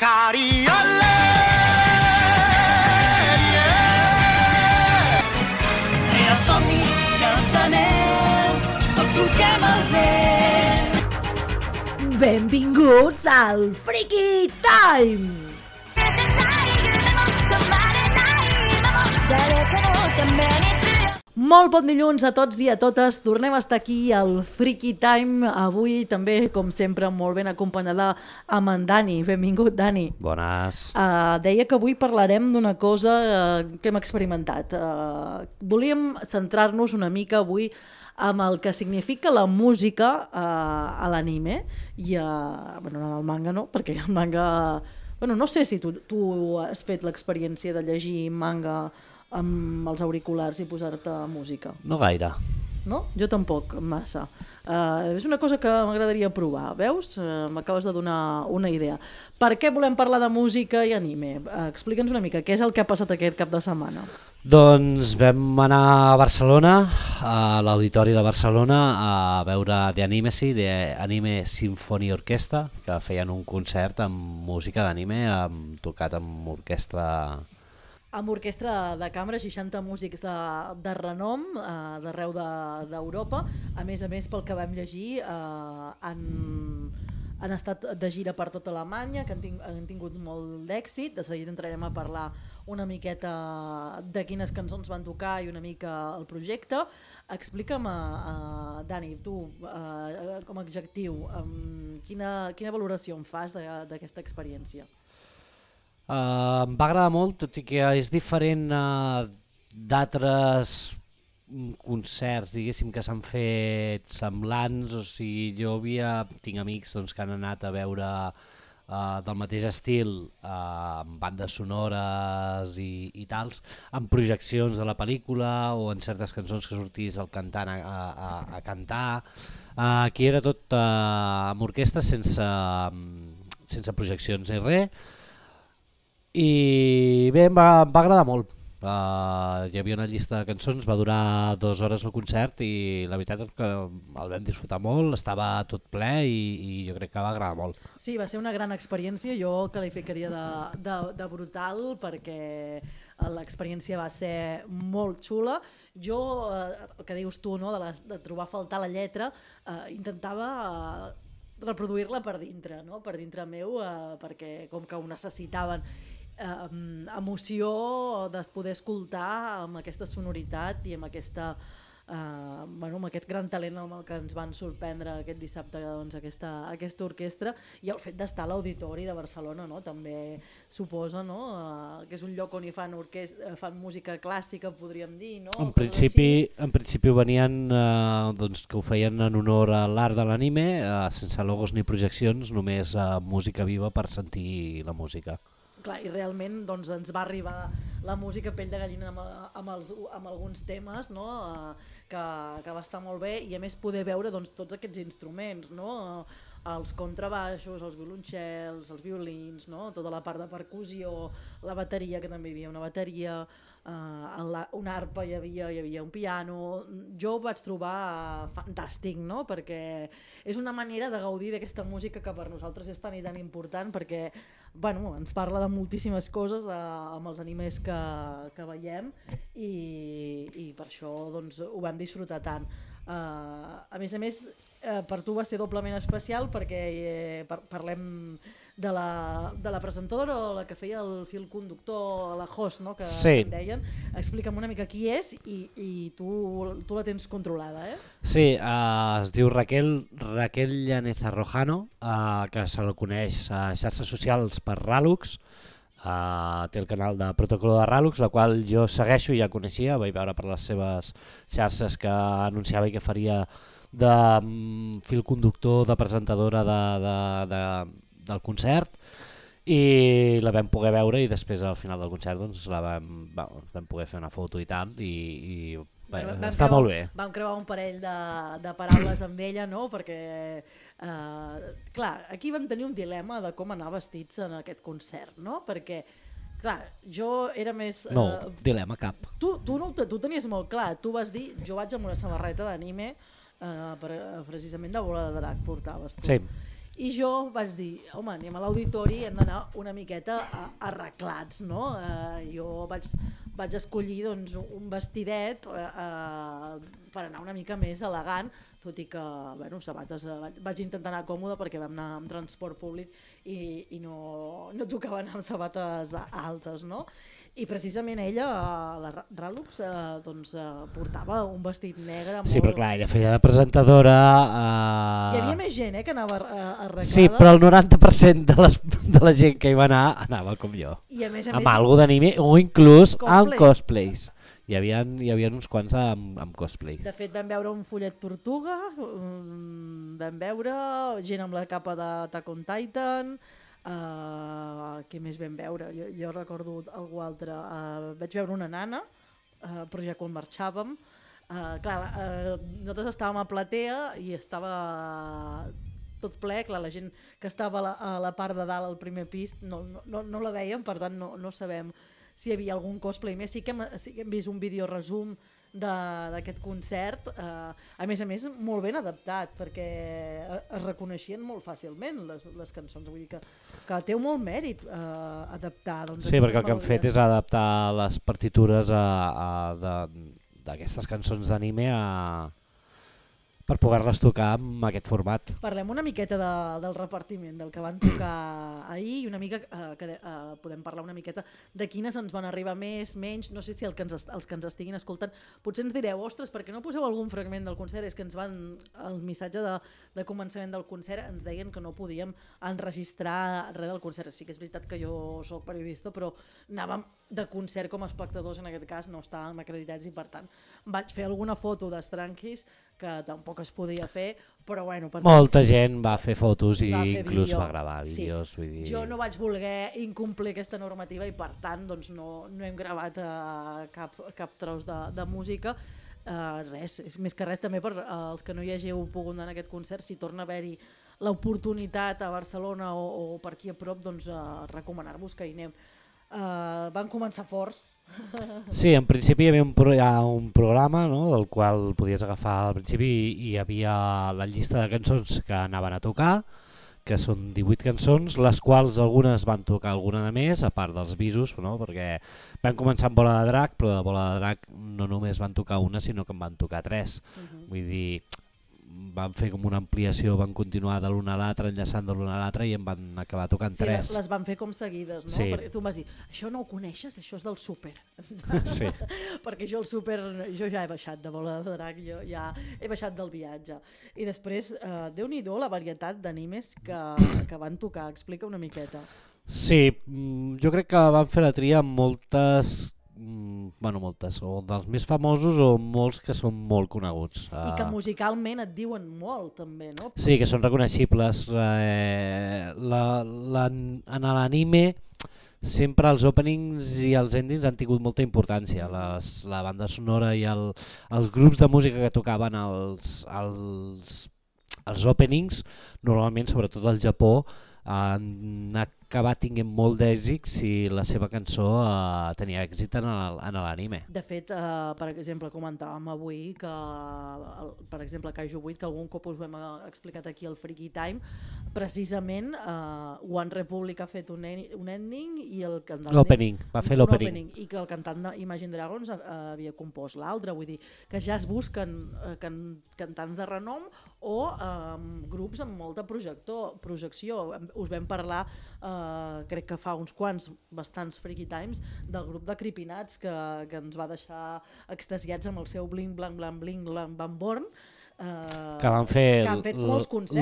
Cari olè, Era somnis, cançoners, tot solquem el vent. Benvinguts al Freaky Time! Molt bon dilluns a tots i a totes. Tornem a estar aquí al Freaky Time. Avui també, com sempre, molt ben acompanyada amb en Dani. Benvingut, Dani. Bones. Deia que avui parlarem d'una cosa que hem experimentat. Volíem centrar-nos una mica avui amb el que significa la música a l'anime i en el manga no, perquè el manga... no sé si tu has fet l'experiència de llegir manga amb els auriculars i posar-te música. No gaire. No? Jo tampoc, massa. És una cosa que m'agradaria provar, veus? M'acabes de donar una idea. Per què volem parlar de música i anime? Explica'ns una mica, què és el que ha passat aquest cap de setmana? Doncs vam anar a Barcelona, a l'Auditori de Barcelona, a veure The Animesi, The Anime Symphony Orchestra, que feien un concert amb música d'anime, tocat amb orquestra... Amb orquestra de cambra, 60 músics de renom d'arreu d'Europa. A més, pel que vam llegir, han estat de gira per tota Alemanya, que han tingut molt d'èxit. De seguida entrarem a parlar una miqueta de quines cançons van tocar i una mica el projecte. Explica'm, Dani, tu, com a adjectiu, quina valoració em fas d'aquesta experiència? Em va agradar molt, tot i que és diferent d'altres concerts, diguéssim, que s'han fet semblants. O sigui, tinc amics que han anat a veure del mateix estil, amb bandes sonores i tals, amb projeccions de la pel·lícula o en certes cançons que sortís el cantant a cantar. Aquí era tot amb orquestra, sense projeccions ni res. I bé, em va agradar molt. Hi havia una llista de cançons, va durar 2 hores el concert i la veritat és que el vam disfrutar molt, estava tot ple i jo crec que va agradar molt. Sí, va ser una gran experiència, jo el qualificaria de brutal perquè l'experiència va ser molt xula. Jo, el que dius tu, no, de trobar a faltar la lletra, intentava reproduir-la per dintre, no? Per dintre meu, perquè com que ho necessitaven. Emoció de poder escoltar amb aquesta sonoritat i amb aquesta, amb aquest gran talent amb el que ens van sorprendre aquest dissabte, doncs, aquesta orquestra, i el fet d'estar a l'Auditori de Barcelona, no? També suposa, no? Que és un lloc on hi fan música clàssica, podríem dir, no? En principi venien, que ho feien en honor a l'art de l'anime, sense logos ni projeccions, només música viva per sentir la música. Clar, i realment doncs, ens va arribar la música pell de gallina amb alguns temes, no? que va estar molt bé, i a més poder veure doncs, tots aquests instruments, no? Els contrabaixos, els violoncels, els violins, no? Tota la part de percussió, la bateria, que també hi havia una bateria, una arpa, hi havia un piano. Jo ho vaig trobar fantàstic, no? Perquè és una manera de gaudir d'aquesta música que per nosaltres és tan i tan important, perquè ens parla de moltíssimes coses amb els animes que veiem i per això doncs, ho vam disfrutar tant. A més, per tu va ser doblement especial perquè parlem de la presentadora o la que feia el fil conductor, la host, no? Que sí. Deien. Explica'm una mica qui és i tu la tens controlada, eh? Sí, es diu Raquel Llaneza Rojano, que se la coneix a xarxes socials per Ralux. Té el canal de Protocolo de Ralux, la qual jo segueixo i ja coneixia, vaig veure per les seves xarxes que anunciava i que faria de fil conductor, de presentadora del concert, i la vam poder veure i després al final del concert doncs, vam poder fer una foto i tal i està molt bé. Vam creuar un parell de paraules amb ella, no? Perquè clar, aquí vam tenir un dilema de com anar vestits en aquest concert, no? Perquè clar, jo era més... No, dilema cap. Tu tenies molt clar, tu vas dir, jo vaig amb una samarreta d'anime, precisament de Bola de Drac portaves tu. Sí. I jo vaig dir, home, anem a l'auditori, hem d'anar una miqueta arreglats, no? Jo vaig escollir doncs, un vestidet per anar una mica més elegant, tot i que sabates vaig intentar anar còmode perquè vam anar amb transport públic i no tocava anar amb sabates altes, no? I precisament ella, la Ralux, portava un vestit negre molt... Sí, però clar, ella feia de presentadora... Hi havia més gent que anava arreglada. Sí, però el 90% de la gent que hi va anar anava com jo. I a més, amb algo d'anime o inclús amb cosplays. Hi havia uns quants amb cosplays. De fet, vam veure un follet tortuga, vam veure gent amb la capa d'Attack on Titan, què més vam veure? Jo recordo algú altre. Vaig veure una nana, però ja quan marxàvem. Nosaltres estàvem a platea i estava tot ple, clar, la gent que estava a la part de dalt al primer pis no la veiem, per tant no sabem si hi havia algun cosplay més. Sí que hem vist un vídeo resum d'aquest concert, a més, molt ben adaptat, perquè es reconeixien molt fàcilment les cançons, vull dir que té molt mèrit adaptar. Sí, perquè el que han fet és adaptar les partitures d'aquestes cançons d'anime per poder-les tocar amb aquest format. Parlem una miqueta del repartiment, del que van tocar ahir, i una mica podem parlar una miqueta de quines ens van arribar més, menys, no sé si els que ens estiguin escoltant potser ens direu, ostres, per què no poseu algun fragment del concert? És que el missatge de començament del concert ens deien que no podíem enregistrar res del concert. Sí que és veritat que jo soc periodista, però anàvem de concert com a espectadors, en aquest cas no estàvem acreditats, i per tant vaig fer alguna foto d'estranquis que tampoc es podia fer, però bueno... Molta gent va fer fotos i inclús va gravar vídeos. Sí. Vull dir... Jo no vaig voler incomplir aquesta normativa i per tant doncs, no hem gravat cap tros de música. Res, més que res també per als que no hi hàgiu pogut anar a aquest concert, si torna a haver-hi l'oportunitat a Barcelona o per aquí a prop, doncs recomanar-vos que hi anem. Van començar forts. Sí, en principi hi havia un programa, no?, del qual podies agafar al principi, i hi havia la llista de cançons que anaven a tocar, que són 18 cançons, les quals algunes van tocar alguna de més, a part dels bisos, no?, perquè van començar amb Bola de Drac, però de Bola de Drac no només van tocar una, sinó que en van tocar 3. Vull dir, van fer com una ampliació, van continuar de l'una a l'altra, enllaçant de l'una a l'altra, i en van acabar tocant 3. Sí, les van fer com seguides, no? Sí. Perquè tu em vas dir, això no ho coneixes, això és del súper. Sí. Perquè jo ja he baixat de Bola de Drac, jo ja he baixat del viatge. I després, Déu-n'hi-do la varietat d'animes que van tocar, explica una miqueta. Sí, jo crec que van fer la tria amb moltes, o dels més famosos o molts que són molt coneguts. I que musicalment et diuen molt també, no? Sí, que són reconeixibles. En l'anime sempre els openings i els endings han tingut molta importància. La banda sonora i els grups de música que tocaven els openings, normalment, sobretot al Japó, han acabat tinguent molt d'èxit si la seva cançó tenia èxit en l'anime. De fet, per exemple, comentàvem avui que, per exemple, Kaiju 8, que algun cop us ho hem explicat aquí al Freaky Time, precisament One Republic ha fet un ending i el cantant... L'opening, va fer l'opening. I que el cantant d'Imagine Dragons havia compost l'altre, vull dir que ja es busquen cantants de renom o grups amb molta projecció. Us vam parlar, crec que fa uns quants, bastants Freaky Times, del grup de Creepinats que ens va deixar extasiats amb el seu Bling Blang Blang Bling Blang Bang Born, que van fer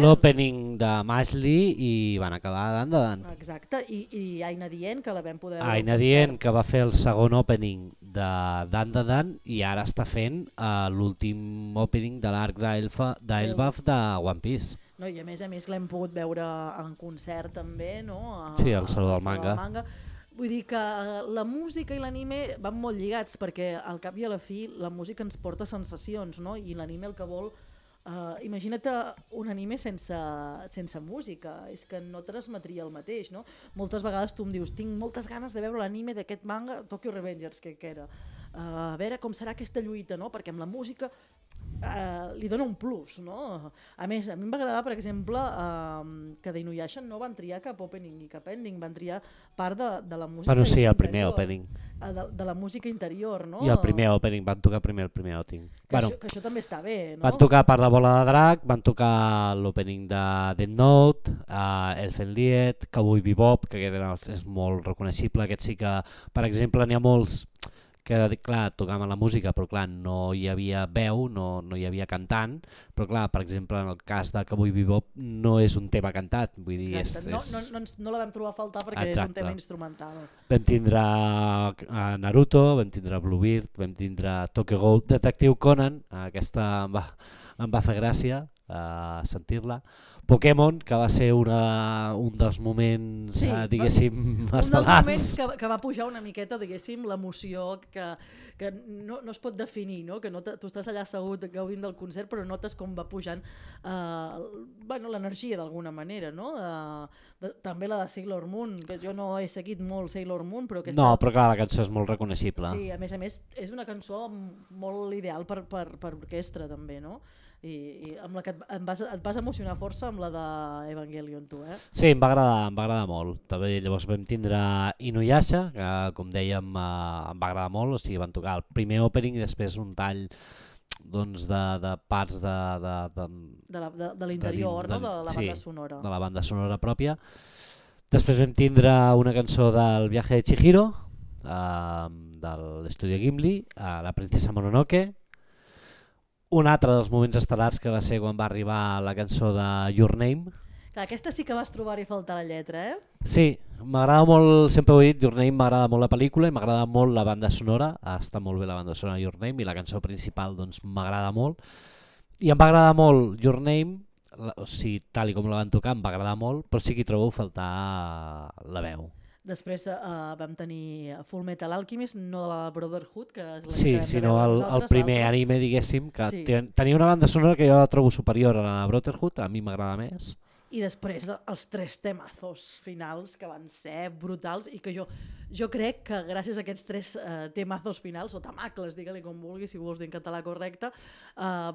l'opening de Mashley i van acabar Dan de Dan. Exacte, i Aina Dient, que la vam poder... Aina Dient, que va fer el segon opening de Dan de Dan i ara està fent l'últim opening de l'arc d'Elbaf de One Piece. No, i a més l'hem pogut veure en concert també, no? Sí, al Saló del Manga. Vull dir que la música i l'anime van molt lligats, perquè al cap i a la fi la música ens porta sensacions, no? I l'anime el que vol... imagina't un anime sense música, és que no transmetria el mateix, no? Moltes vegades tu em dius, tinc moltes ganes de veure l'anime d'aquest manga, Tokyo Revengers, que era. A veure com serà aquesta lluita, no? Perquè amb la música li dona un plus, no? A més, a mi em va agradar, per exemple, que d'Inuyasha no van triar cap opening i cap ending, van triar part de la música Bueno, sí, el interior, primer opening. de la música interior, no? I el primer opening, van tocar primer el primer opening. Que això també està bé, no? Van tocar part de Bola de Drac, van tocar l'opening de Death Note, Elfen Lied, Cowboy Bebop, que aquest és molt reconeixible, aquest sí que, per exemple, n'hi ha molts que, clar, tocaven la música, però clar, no hi havia veu, no hi havia cantant, però clar, per exemple, en el cas de Cowboy Bebop no és un tema cantat, vull dir, no la vam trobar a faltar perquè és un tema instrumental. Vam tindre Naruto, vam tindre Bluebeard, vam tindre Tokyo Ghoul, Detective Conan, aquesta em va fer gràcia sentir-la. Pokémon, que va ser un dels moments, diguéssim, estel·lars. Un dels moments que va pujar una miqueta, diguéssim, l'emoció que no es pot definir, no? Que tu estàs allà assegut gaudint del concert, però notes com va pujant l'energia d'alguna manera, no? També la de Sailor Moon, que jo no he seguit molt Sailor Moon, però aquesta... No, però clar, la cançó és molt reconeixible. Sí, a més, és una cançó molt ideal per orquestra, també, no? I amb la que et vas emocionar força amb la d'Evangelion, tu, eh? Sí, em va agradar molt. També, llavors vam tindre Inuyasha, que com dèiem em va agradar molt, o sigui, van tocar el primer opening i després un tall doncs, de parts de l'interior, no? De la banda sonora. De la banda sonora pròpia. Després vam tindre una cançó del Viaje de Chihiro, de l'estudi Ghibli, La princesa Mononoke. Un altre dels moments estel·lars que va ser quan va arribar la cançó de Your Name. Clar, aquesta sí que vas trobar-hi faltar la lletra, eh? Sí, m'agrada molt, sempre ho he dit, Your Name m'agrada molt la pel·lícula i m'agrada molt la banda sonora, està molt bé la banda sonora Your Name i la cançó principal doncs m'agrada molt. I em va agradar molt Your Name, o sigui, tal i com la van tocar em va agradar molt, però sí que hi trobo faltar la veu. Després vam tenir Full Metal Alchemist, no de la Brotherhood, que és la sí, que sinó el primer anime, diguéssim, que tenia una banda sonora que jo trobo superior a la Brotherhood, a mi m'agrada més. I després els 3 temazos finals que van ser brutals i que jo crec que gràcies a aquests 3 temazos finals, o tamacles, digue-li com vulgui, si vols dir en català correcte,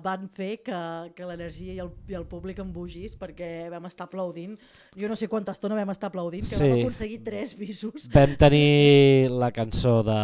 van fer que l'energia i el públic embogís perquè vam estar aplaudint. Jo no sé quanta estona vam estar aplaudint, que vam aconseguir 3 bisos. Vam tenir la cançó de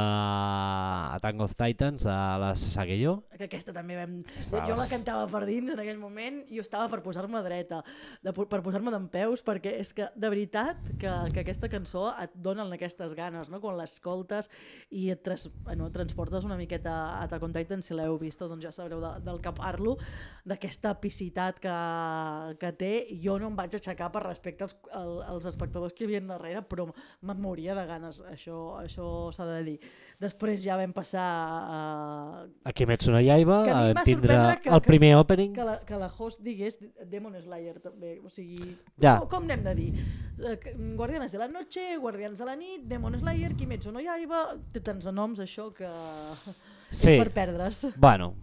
Attack of Titans, de la Sasageyo. Que aquesta també jo la cantava per dins en aquell moment i jo estava per posar-me dreta, per posar-me dempeus, perquè és que de veritat que aquesta cançó et donen aquestes ganes, no? Quan l'escoltes i et transportes una miqueta a Attack on Titan, si l'heu vist doncs ja sabreu del que parlo, d'aquesta epicitat que té. Jo no em vaig aixecar per respecte als espectadors que hi havia darrere, però me'n moria de ganes, això s'ha de dir. Després ja vam passar a Kimetsu no Yaiba, vam tindre el primer opening. Que la host digués Demon Slayer també, o sigui, com n'hem de dir? Guardianes de la Noche, Guardians de la Nit, Demon Slayer, Kimetsu no Yaiba, té tants noms això que és per perdre's. Bueno,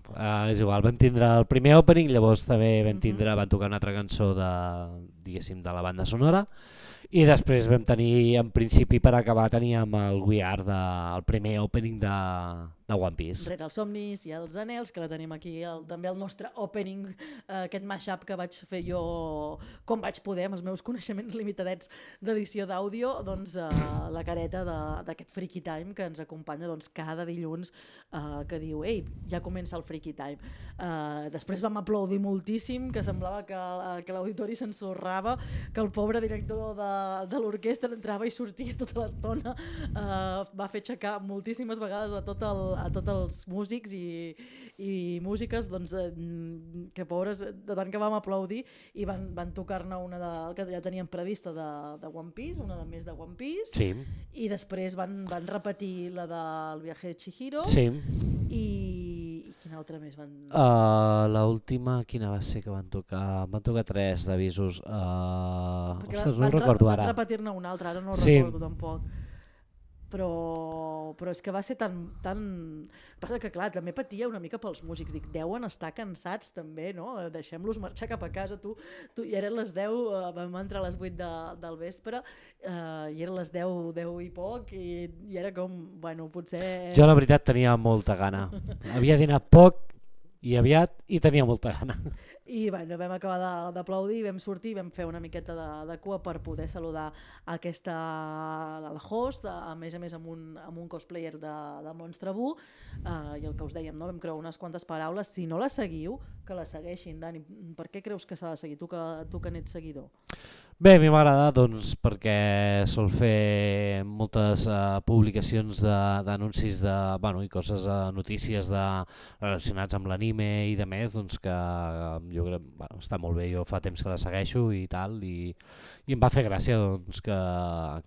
és igual, vam tindre el primer opening, llavors també van tocar una altra cançó de la banda sonora. I després vam tenir, en principi per acabar, teníem el We Are, el primer opening de One Piece. Rere els somnis i els anels, que la tenim aquí, també el nostre opening, aquest mashup que vaig fer jo com vaig poder, amb els meus coneixements limitadets d'edició d'àudio, doncs la careta d'aquest Freaky Time que ens acompanya doncs, cada dilluns, que diu, ei, ja comença el Freaky Time. Després vam aplaudir moltíssim, que semblava que l'auditori s'ensorrava, que el pobre director de l'orquestra entrava i sortia tota l'estona, va fer aixecar moltíssimes vegades a tots els músics i músiques, doncs, que pobres, de tant que vam aplaudir, i van tocar-ne una que ja teníem prevista de One Piece, una de més de One Piece, sí. I després van repetir la del Viaje de Chihiro, sí. I quina altra més van... L'última, quina va ser que van tocar? Van tocar 3 d'avisos. Ostres, no recordo ara. Van repetir-ne una altra, ara no recordo tampoc. Però és que va ser tan... Passa que clar, també patia una mica pels músics, dic, deuen estar cansats també, no? Deixem-los marxar cap a casa, tu i eren les 10, vam entrar a les 8 del vespre, i eren les 10 i poc, i era com, bueno, potser... Jo la veritat tenia molta gana, havia dinat poc i aviat i tenia molta gana. I bueno, vam acabar d'aplaudir, vam sortir, vam fer una miqueta de cua per poder saludar la host, a més amb un cosplayer de Monstre Buu, i el que us dèiem, no? Vam creure unes quantes paraules. Si no la seguiu, que la segueixin. Dani, per què creus que s'ha de seguir, tu que n'ets seguidor? Bé, a mi m'agrada doncs, perquè sol fer moltes publicacions d'anuncis i coses, notícies relacionats amb l'anime i de més, doncs, que jo crec està molt bé. Jo fa temps que la segueixo i tal, i em va fer gràcia doncs, que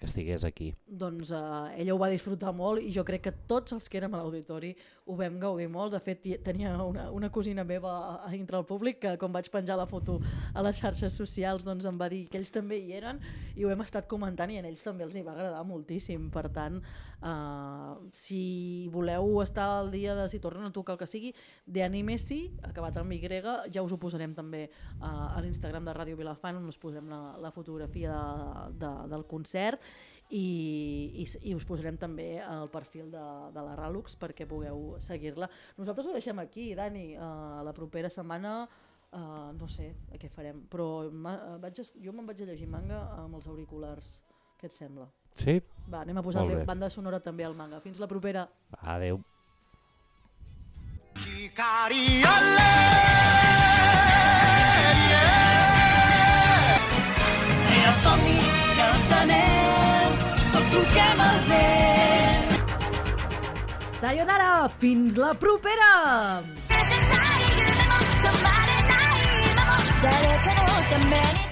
estigués aquí. Doncs ella ho va disfrutar molt i jo crec que tots els que érem a l'auditori ho vam gaudir molt. De fet, tenia una cosina meva a dintre el públic que quan vaig penjar la foto a les xarxes socials doncs em va dir que ells també hi eren i ho hem estat comentant i a ells també els hi va agradar moltíssim. Per tant, si voleu estar al dia de si tornen a tocar el que sigui, d'Animesi, acabat amb Y, ja us ho posarem també a l'Instagram de Ràdio Vilafant, on us posem la fotografia del concert i us posarem també el perfil de la Ràlux perquè pugueu seguir-la. Nosaltres ho deixem aquí, Dani. La propera setmana no sé què farem, però jo me'n vaig a llegir manga amb els auriculars. Què et sembla? Sí? Va, anem a posar-li banda sonora també al manga. Fins la propera. Adeu. Els somnis i els anells, tots solquem el vent. Sayonara, fins la propera! 誰かのために